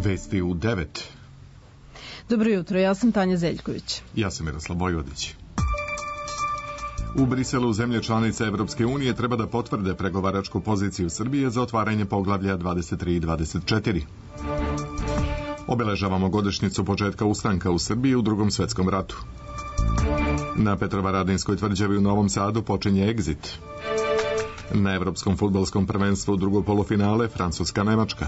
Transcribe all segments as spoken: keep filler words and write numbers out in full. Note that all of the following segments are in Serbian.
Vesti u devet. Dobro jutro, ja sam Tanja Zeljković. Ja sam Miroslav Bojvodić. U Briselu zemlje članice Evropske unije treba da potvrde pregovaračku poziciju Srbije za otvaranje poglavlja dvadeset tri i dvadeset četiri. Obeležavamo godišnjicu početka ustanka u Srbiji u Drugom svetskom ratu. Na Petrovaradinskoj tvrđavi u Novom Sadu počinje egzit. Na Evropskom fudbalskom prvenstvu drugo polufinale Francuska-Nemačka.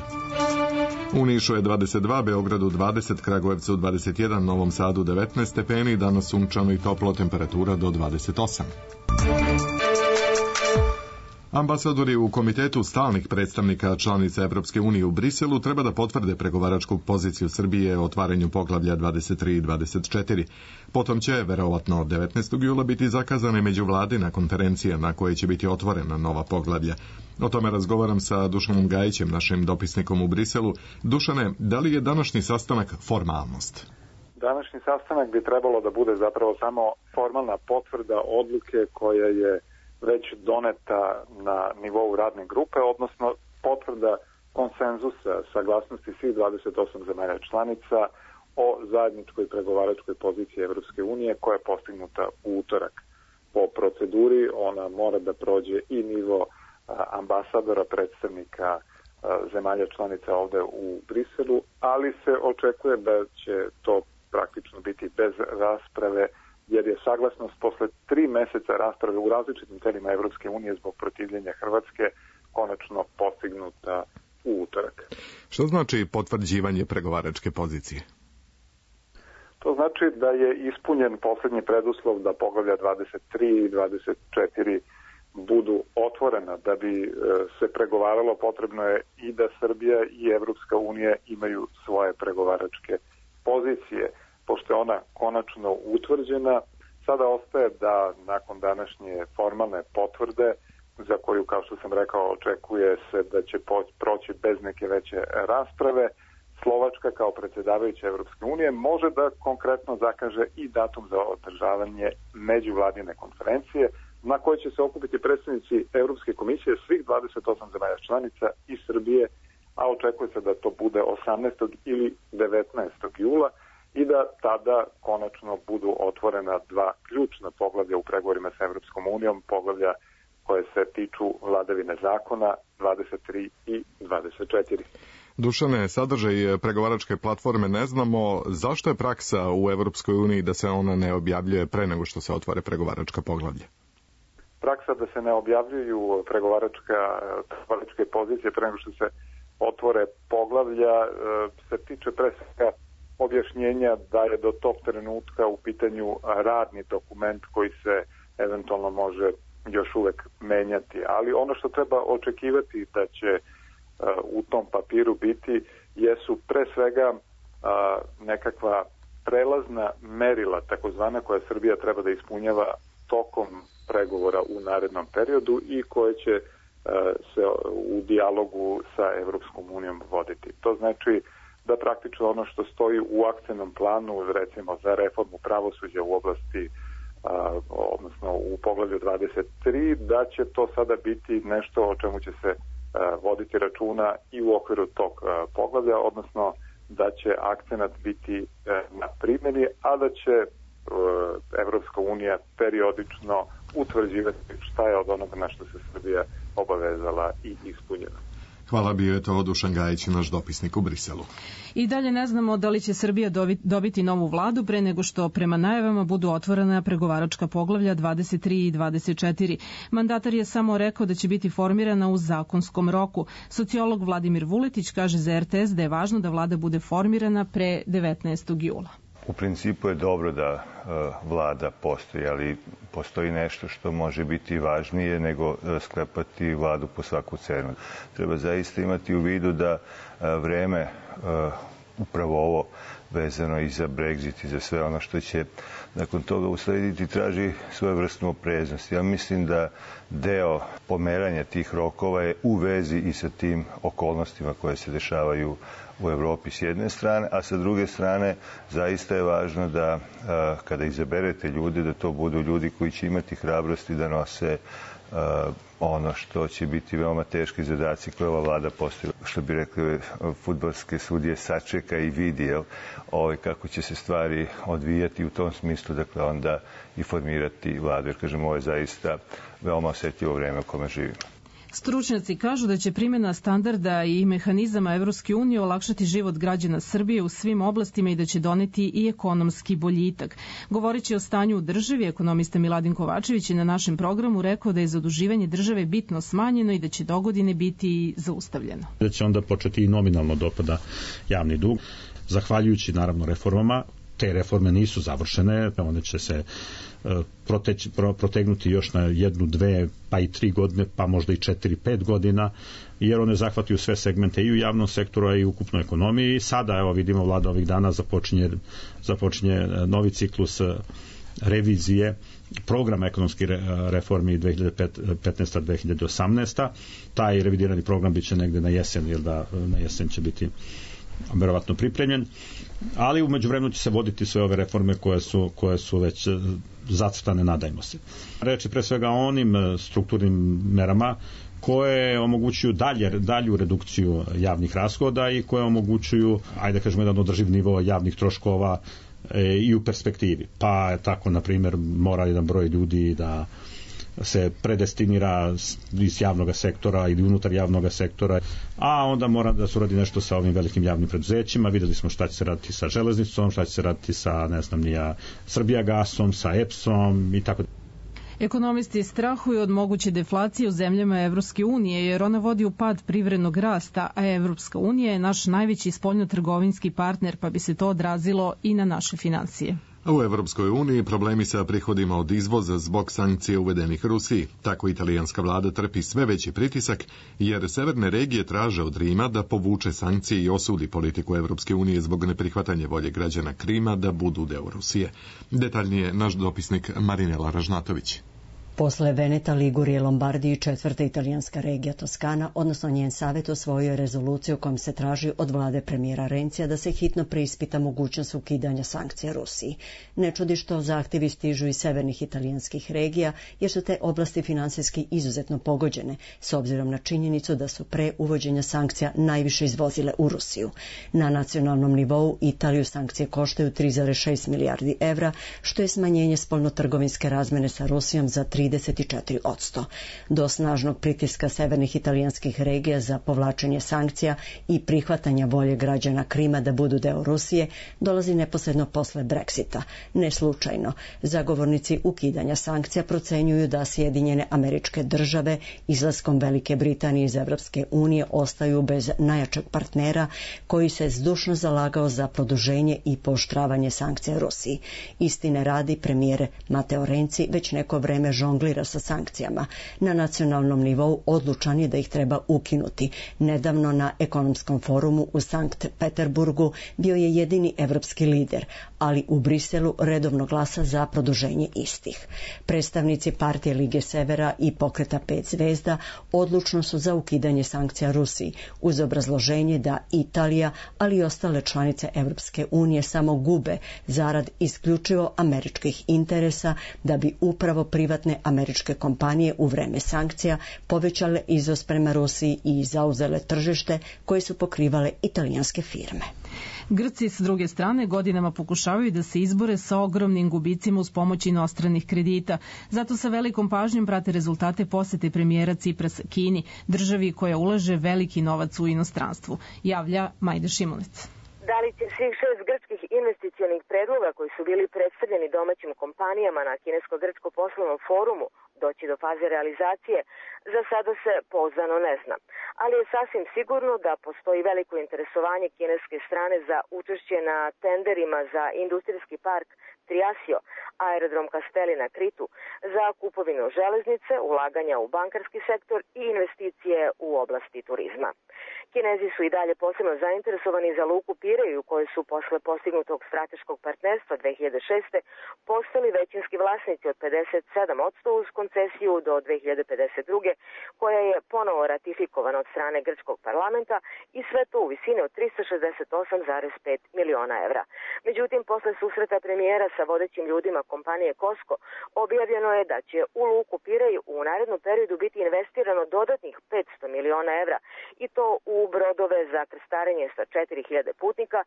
U Nišu je dvadeset dva, Beogradu dvadeset, Kragujevcu dvadeset jedan, Novom Sadu devetnaest stepeni, danas sunčano i toplo, temperatura do dvadeset osam. Ambasadori u Komitetu stalnih predstavnika članica Evropske unije u Briselu treba da potvrde pregovaračku poziciju Srbije o otvaranju poglavlja dvadeset tri i dvadeset četiri. Potom će, verovatno devetnaestog jula, biti zakazane međuvladina konferencija na kojoj će biti otvorena nova poglavlja. O tome razgovaram sa Dušanom Gajićem, našim dopisnikom u Briselu. Dušane, da li je današnji sastanak formalnost? Današnji sastanak bi trebalo da bude zapravo samo formalna potvrda odluke koja je već doneta na nivou radne grupe, odnosno potvrda konsenzusa saglasnosti svih dvadeset osam zemalja članica o zajedničkoj pregovaračkoj poziciji Evropske unije koja je postignuta u utorak. Po proceduri ona mora da prođe i nivo ambasadora, predstavnika zemalja članica ovde u Briselu, ali se očekuje da će to praktično biti bez rasprave, jer je saglasnost posle tri meseca rasprave u različitim telima Evropske unije zbog protivljenja Hrvatske konačno postignuta u utorak. Što znači potvrđivanje pregovaračke pozicije? To znači da je ispunjen poslednji preduslov da poglavlja dvadeset tri i dvadeset četiri budu otvorena. Da bi se pregovaralo, potrebno je i da Srbija i Evropska unija imaju svoje pregovaračke pozicije. Pošto je ona konačno utvrđena, sada ostaje da nakon današnje formalne potvrde, za koju, kao što sam rekao, očekuje se da će proći bez neke veće rasprave, Slovačka kao predsjedavajuća Evropske unije može da konkretno zakaže i datum za održavanje međuvladine konferencije na kojoj će se okupiti predstavnici Evropske komisije svih dvadeset osam zemalja članica i Srbije, a očekuje se da to bude osamnaestog ili devetnaestog jula, i da tada konačno budu otvorena dva ključna poglavlja u pregovorima sa Evropskom unijom, poglavlja koje se tiču vladavine zakona dvadeset tri i dvadeset četiri. Dušane, sadržaj pregovaračke platforme ne znamo. Zašto je praksa u Evropskoj uniji da se ona ne objavljuje pre nego što se otvore pregovaračka poglavlja? Praksa da se ne objavljuju pregovaračka, pregovaračke pozicije pre nego što se otvore poglavlja se tiče pre svega objašnjenja da je do tog trenutka u pitanju radni dokument koji se eventualno može još uvek menjati. Ali ono što treba očekivati da će uh, u tom papiru biti jesu pre svega uh, nekakva prelazna merila, takozvana, koja Srbija treba da ispunjava tokom pregovora u narednom periodu i koje će uh, se u dijalogu sa Evropskom unijom voditi. To znači da praktično ono što stoji u akcionom planu, recimo za reformu pravosuđa u oblasti, a, odnosno u poglavlju dvadeset tri, da će to sada biti nešto o čemu će se a, voditi računa i u okviru tog a, poglavlja, odnosno da će akcenat biti a, na primjeni, a da će a, Evropska unija periodično utvrđivati šta je od onoga na što se Srbija obavezala i ispunjena. Hvala, bio je to Dušan Gajić, naš dopisnik u Briselu. I dalje ne znamo da li će Srbija dobiti novu vladu pre nego što prema najavama budu otvorena pregovaračka poglavlja dvadeset tri i dvadeset četiri. Mandatar je samo rekao da će biti formirana u zakonskom roku. Sociolog Vladimir Vuletić kaže za R T S da je važno da vlada bude formirana pre devetnaestog jula. U principu je dobro da uh, vlada postoji, ali postoji nešto što može biti važnije nego uh, sklepati vladu po svaku cenu. Treba zaista imati u vidu da uh, vreme, uh, upravo ovo vezano i za Brexit i za sve ono što će nakon toga uslediti, traži svojevrsnu opreznost. Ja mislim da deo pomeranja tih rokova je u vezi i sa tim okolnostima koje se dešavaju u Evropi s jedne strane, a sa druge strane zaista je važno da kada izaberete ljude, da to budu ljudi koji će imati hrabrosti da nose ono što će biti veoma teški zadaci koje ova vlada postavila. Što bi rekli fudbalske sudije, sačeka i vidi ovaj, kako će se stvari odvijati u tom smislu, dakle onda i formirati vladu. Jer kažem, ovo je zaista veoma osjetljivo vreme u kome živimo. Stručnjaci kažu da će primjena standarda i mehanizama Evropske unije olakšati život građana Srbije u svim oblastima i da će doneti i ekonomski boljitak. Govoreći o stanju u državi, ekonomista Miladin Kovačević je na našem programu rekao da je zaduživanje države bitno smanjeno i da će dogodine biti zaustavljeno. Da će onda početi i nominalno dopada javni dug, zahvaljujući naravno reformama. Te reforme nisu završene, one će se Proteći, pro, protegnuti još na jednu, dve, pa i tri godine, pa možda i četiri, pet godina, jer one zahvataju sve segmente i u javnom sektoru, a i u ukupnoj ekonomiji. I sada, evo vidimo, vlada ovih dana započinje, započinje novi ciklus revizije programa ekonomskih reformi dve hiljade petnaesta do dve hiljade osamnaesta. Taj revidirani program biće negde na jesen, jer da na jesen će biti verovatno pripremljen, ali u međuvremenu će se voditi sve ove reforme koje su, koje su već zacrtane, nadajmo se. Reč je pre svega o onim strukturnim merama koje omogućuju dalje, dalju redukciju javnih rashoda i koje omogućuju, ajde kažemo, jedan održiv nivo javnih troškova e, i u perspektivi. Pa tako, na primjer, mora jedan broj ljudi da se predestinira iz javnog sektora ili unutar javnog sektora, a onda mora da se uradi nešto sa ovim velikim javnim preduzećima. Videli smo šta će se raditi sa železnicom, šta će se raditi sa, ne znam, nija Srbijagasom, sa E P S-om i tako. Ekonomisti strahuju od moguće deflacije u zemljama Evropske unije, jer ona vodi u pad privrednog rasta, a Evropska unija je naš najveći spoljnotrgovinski partner, pa bi se to odrazilo i na naše finansije. U Evropskoj uniji problemi sa prihodima od izvoza zbog sankcija uvedenih Rusiji. Tako italijanska vlada trpi sve veći pritisak, jer severne regije traže od Rima da povuče sankcije i osudi politiku Evropske unije zbog neprihvatanja volje građana Krima da budu deo Rusije. Detaljnije naš dopisnik Marinela Ražnatović. Posle Veneta, Ligurije, Lombardije i četvrta italijanska regija Toskana, odnosno njen savjet, osvojio je rezoluciju kojom se traži od vlade premijera Rencija da se hitno preispita mogućnost ukidanja sankcija Rusiji. Ne čudi što zahtjevi stižu iz severnih italijanskih regija, jer su te oblasti finansijski izuzetno pogođene, s obzirom na činjenicu da su pre uvođenja sankcija najviše izvozile u Rusiju. Na nacionalnom nivou Italiju sankcije koštaju tri zarez šest milijardi evra, što je smanjenje spoljnotrgovinske razmene sa Rusijom za trideset četiri posto. Do snažnog pritiska severnih italijanskih regija za povlačenje sankcija i prihvatanja volje građana Krima da budu deo Rusije dolazi neposredno posle Brexita. Ne slučajno, zagovornici ukidanja sankcija procenjuju da Sjedinjene Američke Države izlaskom Velike Britanije iz Evropske unije ostaju bez najjačeg partnera koji se zdušno zalagao za produženje i pooštravanje sankcija Rusiji. Istine radi, premijer Mateo Renzi već neko vreme žonglira sa sankcijama. Na nacionalnom nivou odlučan je da ih treba ukinuti. Nedavno na ekonomskom forumu u Sankt Peterburgu bio je jedini evropski lider, ali u Briselu redovno glasa za produženje istih. Predstavnici partije Lige Severa i pokreta Pet zvezda odlučno su za ukidanje sankcija Rusiji, uz obrazloženje da Italija, ali i ostale članice Evropske unije samo gube zarad isključivo američkih interesa, da bi upravo privatne američke kompanije u vreme sankcija povećale izvoz prema Rusiji i zauzele tržište koje su pokrivale italijanske firme. Grci s druge strane godinama pokušavaju da se izbore sa ogromnim gubicima uz pomoć inostranih kredita. Zato sa velikom pažnjom prate rezultate posete premijera Ciprasa Kini, državi koja ulaže veliki novac u inostranstvu. Javlja Majda Šimunec. Da li će svih šest grčkih investicionih predloga koji su bili predstavljeni domaćim kompanijama na Kinesko-grčko poslovnom forumu doći do faze realizacije, za sada se pouzdano ne zna. Ali je sasvim sigurno da postoji veliko interesovanje kineske strane za učešće na tenderima za industrijski park Triasio, aerodrom Kaspeli na Kritu, za kupovinu železnice, ulaganja u bankarski sektor i investicije u oblasti turizma. Kinezi su i dalje posebno zainteresovani za luku Pireju, koji su posle postignutog strateškog partnerstva dve hiljade šeste postali većinski vlasnici od pedeset sedam posto uz koncesiju do dve hiljade pedeset druge, koja koja je ponovo ratifikovana od strane grčkog parlamenta i sve to u visini od trista šezdeset osam zarez pet miliona evra. Međutim, posle susreta premijera sa vodećim ljudima kompanije Kosko, objavljeno je da će u luku Pirej u narednom periodu biti investirano dodatnih petsto miliona evra i to u brodove za krstarenje sa četiri hiljade putnika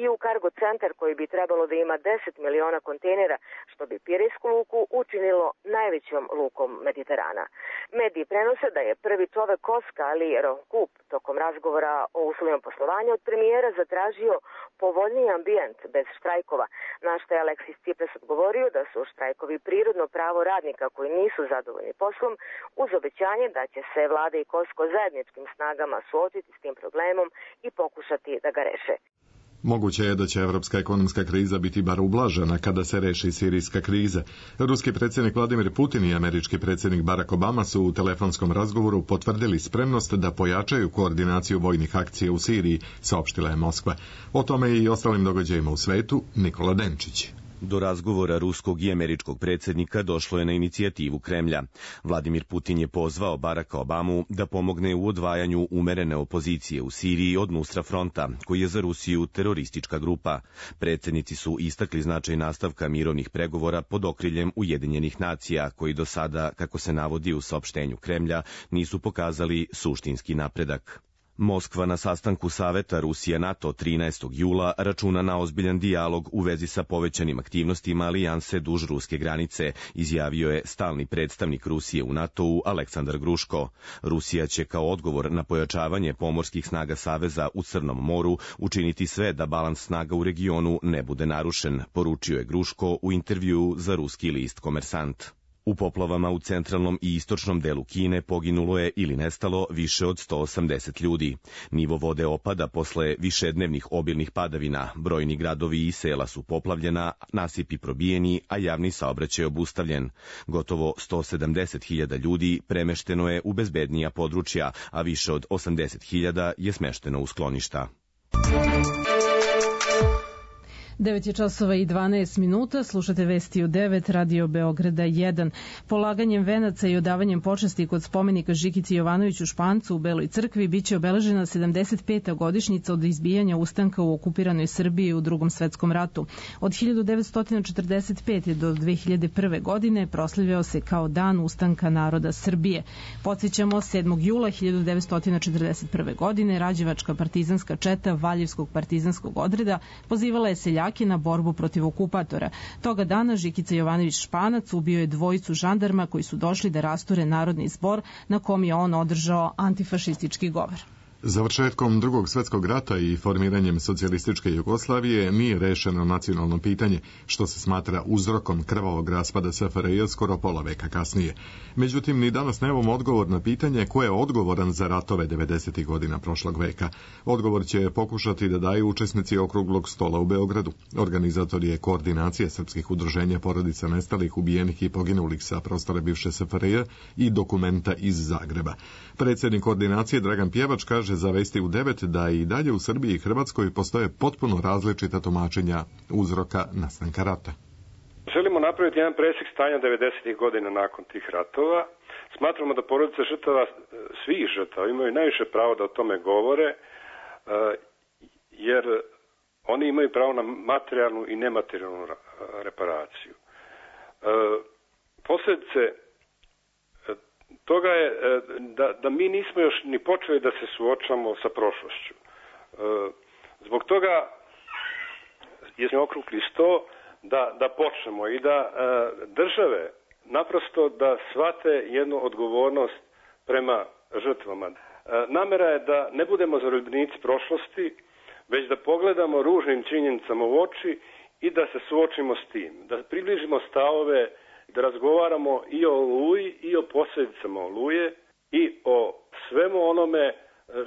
i u kargo centar koji bi trebalo da ima deset miliona kontejnera, što bi Pirejsku luku učinilo najvećom lukom Mediterana. Mediji prenose da je prvi čovek Koska, Ali Rohkup, tokom razgovora o uslovima poslovanja od premijera zatražio povoljniji ambijent bez štrajkova, na što je Aleksis Tsipras odgovorio da su štrajkovi prirodno pravo radnika koji nisu zadovoljni poslom, uz obećanje da će se vlada i Kosko zajedničkim snagama suočiti s tim problemom i pokušati da ga reše. Moguće je da će evropska ekonomska kriza biti bar ublažena kada se reši sirijska kriza. Ruski predsjednik Vladimir Putin i američki predsjednik Barack Obama su u telefonskom razgovoru potvrdili spremnost da pojačaju koordinaciju vojnih akcija u Siriji, saopštila je Moskva. O tome i ostalim događajima u svetu Nikola Denčić. Do razgovora ruskog i američkog predsjednika došlo je na inicijativu Kremlja. Vladimir Putin je pozvao Baracka Obamu da pomogne u odvajanju umerene opozicije u Siriji od Nusra fronta, koji je za Rusiju teroristička grupa. Predsjednici su istakli značaj nastavka mirovnih pregovora pod okriljem Ujedinjenih nacija, koji do sada, kako se navodi u saopštenju Kremlja, nisu pokazali suštinski napredak. Moskva na sastanku Saveta Rusija-NATO trinaestog jula računa na ozbiljan dijalog u vezi sa povećanim aktivnostima alijanse duž ruske granice, izjavio je stalni predstavnik Rusije u NATO-u Aleksandar Gruško. Rusija će kao odgovor na pojačavanje pomorskih snaga Saveza u Crnom moru učiniti sve da balans snaga u regionu ne bude narušen, poručio je Gruško u intervjuu za ruski list Komersant. U poplavama u centralnom i istočnom delu Kine poginulo je ili nestalo više od sto osamdeset ljudi. Nivo vode opada posle višednevnih obilnih padavina, brojni gradovi i sela su poplavljena, nasipi probijeni, a javni saobraćaj obustavljen. Gotovo sto sedamdeset hiljada ljudi premešteno je u bezbednija područja, a više od osamdeset hiljada je smešteno u skloništa. devet je časova i dvanaest minuta, slušate vesti u devet, Radio Beograda jedan. Polaganjem venaca i odavanjem počasti kod spomenika Žikici Jovanoviću Špancu u Beloj crkvi biće obeležena sedamdeset peta godišnjica od izbijanja ustanka u okupiranoj Srbiji u Drugom svetskom ratu. Od hiljadu devetsto četrdeset pete do dve hiljade prve. godine proslavljao se kao Dan ustanka naroda Srbije. Podsjećamo, sedmog jula hiljadu devetsto četrdeset prve. godine Rađevačka partizanska četa Valjevskog partizanskog odreda pozivala je seljake na borbu protiv okupatora. Toga dana Žikica Jovanović Španac ubio je dvojicu žandarma koji su došli da rasture narodni zbor na kom je on održao antifašistički govor. Završetkom Drugog svjetskog rata i formiranjem socijalističke Jugoslavije nije rešeno nacionalno pitanje, što se smatra uzrokom krvavog raspada S F R J skoro pola veka kasnije. Međutim, ni danas nemamo odgovor na pitanje ko je odgovoran za ratove devedesetih godina prošlog veka. Odgovor će pokušati da daju učesnici okruglog stola u Beogradu. Organizator je Koordinacija srpskih udruženja porodica nestalih, ubijenih i poginulih sa prostora bivše S F R J i Dokumenta iz Zagreba. Predsjednik Koordinacije Dragan Pjevač kaže za Vesti u devet da i dalje u Srbiji i Hrvatskoj postoje potpuno različita tumačenja uzroka nastanka rata. Želimo napraviti jedan presjek stanja devedesetih godina nakon tih ratova. Smatramo da porodice žrtava, svih žrtava, imaju najviše pravo da o tome govore, jer oni imaju pravo na materijalnu i nematerijalnu reparaciju. Posljedice toga je da, da mi nismo još ni počeli da se suočamo sa prošlošću. Zbog toga je okrugli sto da, da počnemo i da države naprosto da shvate jednu odgovornost prema žrtvama. Namera je da ne budemo zarobljenici prošlosti, već da pogledamo ružnim činjenicama u oči i da se suočimo s tim, da približimo stavove, da razgovaramo i o Oluji i o posljedicama Oluje i o svemu onome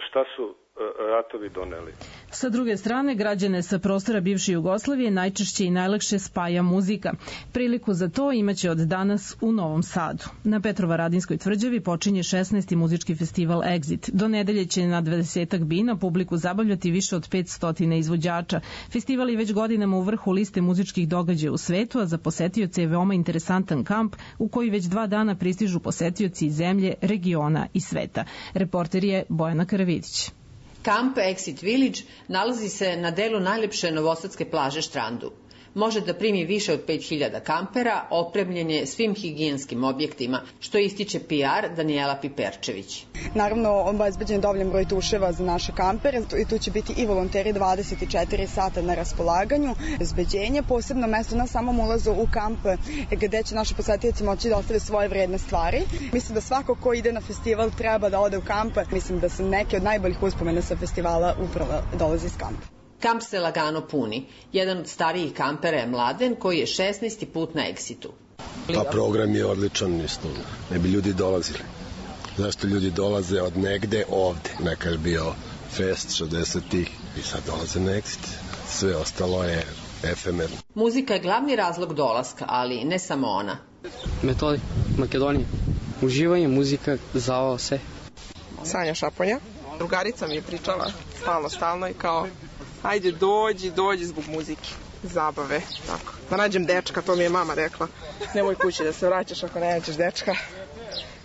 šta su ratovi doneli. Sa druge strane, građane sa prostora bivše Jugoslavije najčešće i najlakše spaja muzika. Priliku za to imaće od danas u Novom Sadu. Na Petrovaradinskoj tvrđavi počinje šesnaesti muzički festival Exit. Do nedelje će na dvadesetak bina publiku zabavljati više od petsto izvođača. Festival je već godinama u vrhu liste muzičkih događaja u svetu, a za posetioce je veoma interesantan kamp u koji već dva dana pristižu posetioci iz zemlje, regiona i sveta. Reporter je Bojana Karavidić. Kamp Exit Village nalazi se na delu najlepše novosadske plaže Štrandu. Može da primi više od pet hiljada kampera, opremljen je svim higijenskim objektima, što ističe P R Danijela Piperčević. Naravno, obezbeđen je dovoljan broj tuševa za naše kampere i tu će biti i volonteri dvadeset četiri sata na raspolaganju. Obezbeđenje, posebno mesto na samom ulazu u kamp gde će naši posetioci moći da ostave svoje vredne stvari. Mislim da svako ko ide na festival treba da ode u kamp. Mislim da su neke od najboljih uspomena sa festivala upravo dolazi iz kampa. Kamp se lagano puni. Jedan od starijih kampera je Mladen, koji je šesnaesti put na Exitu. Pa program je odličan, isto. Ne bi ljudi dolazili. Zašto ljudi dolaze od negde ovde? Nekad je bio fest šezdesetih i sad dolaze na Exit. Sve ostalo je efemerno. Muzika je glavni razlog dolaska, ali ne samo ona. Metodi, Makedonija. Uživanje, muzika, zavao, sve. Sanja Šaponja. Drugarica mi je pričala stalno, stalno i kao ajde dođi, dođi zbog muzike, zabave, tako. Da nađem dečka, to mi je mama rekla. Nemoj kući da se vraćaš ako ne nađeš dečka.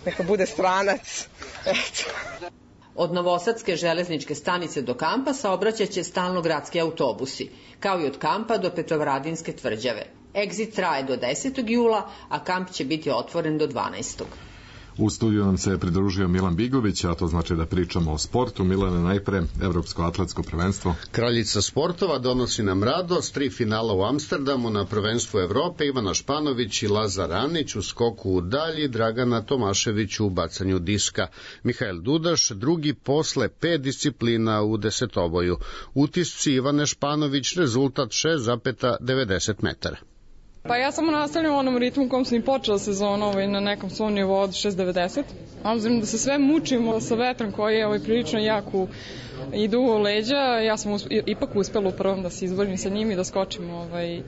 Neka bude stranac. Eto. Od Novosadske železničke stanice do kampa saobraćaće stalno gradski autobusi, kao i od kampa do Petrovaradinske tvrđave. Exit traje do desetog jula, a kamp će biti otvoren do dvanaestog U studiju nam se pridružio Milan Bigović, a to znači da pričamo o sportu. Milane, najpre Evropsko atletsko prvenstvo. Kraljica sportova donosi nam radost, tri finala u Amsterdamu na prvenstvu Evrope, Ivana Španović i Lazar Anić u skoku u dalji, Dragana Tomašević u bacanju diska. Mihael Dudaš drugi posle pet disciplina u desetoboju. Utisci Ivane Španović, rezultat šest zarez devedeset metara. Pa ja samo nastavljam u onom ritmu u kom sam i počela sezonu ovaj, na nekom svom nivou od šest devedeset. Obzirom da se sve mučimo sa vetrom koji je ovaj, prilično jako idu u leđa, ja sam usp ipak uspela u prvom da se izborim sa njim i da skočim ovaj,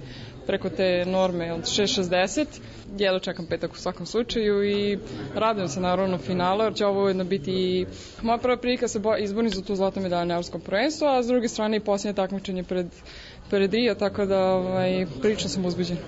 preko te norme od šest šezdeset. Jedno čekam petak u svakom slučaju i radujem se naravno finala, jer će ovo ujedno biti i moja prva prilika se izborim za tu zlatnu medalju na evropskom prvenstvu, a s druge strane i posljednje takmičenje pred pred Rio, tako da ovaj, prilično sam uzbuđena.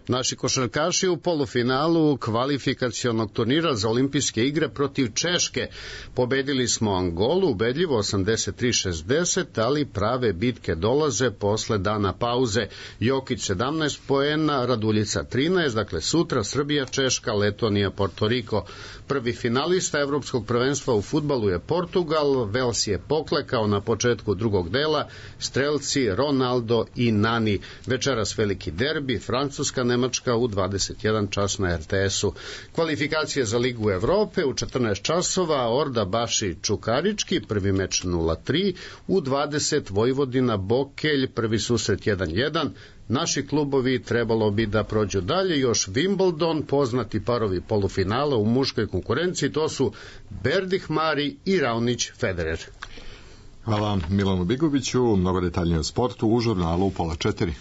Naši košarkaši u polufinalu kvalifikacionog turnira za olimpijske igre protiv Češke. Pobedili smo Angolu, ubedljivo osamdeset tri šezdeset, ali prave bitke dolaze posle dana pauze. Jokić sedamnaest poena, Raduljica trinaest, dakle sutra Srbija, Češka, Letonija, Portoriko. Prvi finalista evropskog prvenstva u fudbalu je Portugal, Vels je poklekao na početku drugog dela, strelci Ronaldo i Nani. Večeras veliki derbi, Francuska, Nemačka u dvadeset jedan čas na R T S-u. Kvalifikacije za Ligu Evrope u četrnaest časova, Orda Baši Čukarički, prvi meč nula tri, u dvadeset Vojvodina Bokelj, prvi susret jedan jedan. Naši klubovi trebalo bi da prođu dalje, još Wimbledon, poznati parovi polufinala u muškoj konkurenciji, to su Berdih Mari i Raonić Federer. Hvala Milanu Bigoviću, mnogo detaljnije o sportu u žurnalu pola četiri.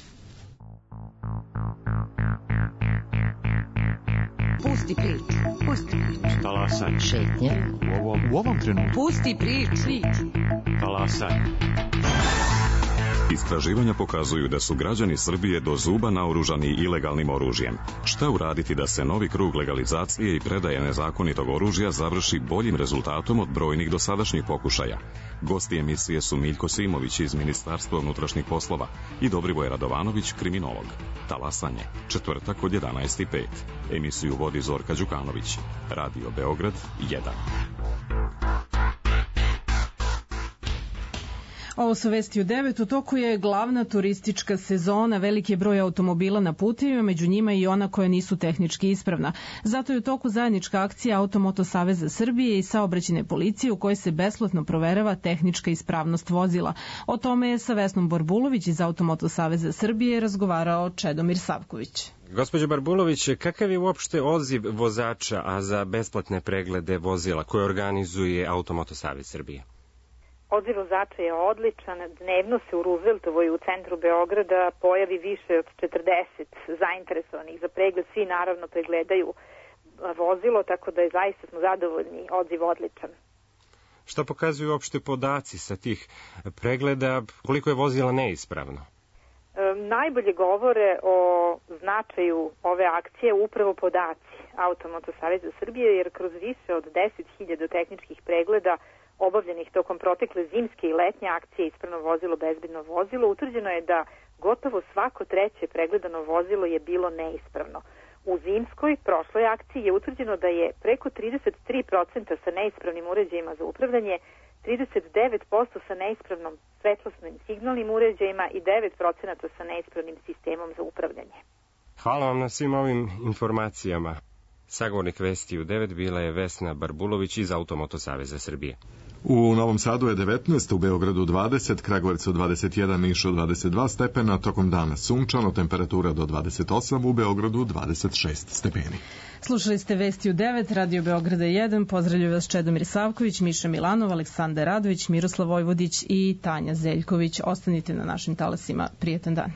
Pusti priču, pusti priču. Talasaj. Šetnje. U ovom, u ovom trenutku. Pusti priču. Talasaj. Istraživanja pokazuju da su građani Srbije do zuba naoružani ilegalnim oružjem. Šta uraditi da se novi krug legalizacije i predaje nezakonitog oružja završi boljim rezultatom od brojnih dosadašnjih pokušaja? Gosti emisije su Miljko Simović iz Ministarstva unutrašnjih poslova i Dobrivoje Radovanović, kriminolog. Talasanje, četvrtak od jedanaest i pet. Emisiju vodi Zorka Đukanović. Radio Beograd jedan. Ovo su vesti u devet. U toku je glavna turistička sezona, veliki je broj automobila na putevima, među njima i ona koja nisu tehnički ispravna. Zato je u toku zajednička akcija Automoto Saveza Srbije i saobraćajne policije u kojoj se besplatno proverava tehnička ispravnost vozila. O tome je sa Vesnom Borbulović iz Automoto Saveza Srbije razgovarao Čedomir Savković. Gospođo Barbulović, kakav je uopšte odziv vozača, a za besplatne preglede vozila koje organizuje Automoto Savez Srbije? Odziv vozača je odličan, dnevno se u Rooseveltovoj u centru Beograda pojavi više od četrdeset zainteresovanih za pregled, svi naravno pregledaju vozilo, tako da je zaista smo zadovoljni, odziv odličan. Šta pokazuju uopšte podaci sa tih pregleda, koliko je vozila neispravno? E, najbolje govore o značaju ove akcije upravo podaci Automoto Saveza Srbije, jer kroz više od deset hiljada tehničkih pregleda obavljenih tokom protekle zimske i letnje akcije Ispravno vozilo, bezbedno vozilo, utvrđeno je da gotovo svako treće pregledano vozilo je bilo neispravno. U zimskoj, prošloj akciji je utvrđeno da je preko trideset tri posto sa neispravnim uređajima za upravljanje, trideset devet posto sa neispravnom svetlosnim signalnim uređajima i devet posto sa neispravnim sistemom za upravljanje. Hvala vam na svim ovim informacijama. Sagovornik Vesti u devet bila je Vesna Barbulović iz Automoto Saveza Srbije. U Novom Sadu je devetnaest, u Beogradu dvadeset, Kragujevcu dvadeset jedan, Nišu dvadeset dva stepena, tokom dana sunčano, temperatura do dvadeset osam, u Beogradu dvadeset šest stepeni. Slušali ste Vesti u devet, Radio Beograda jedan, pozdravljaju vas Čedomir Savković, Miša Milanov, Aleksandar Radović, Miroslav Vojvodić i Tanja Zeljković. Ostanite na našim talasima. Prijetan dan.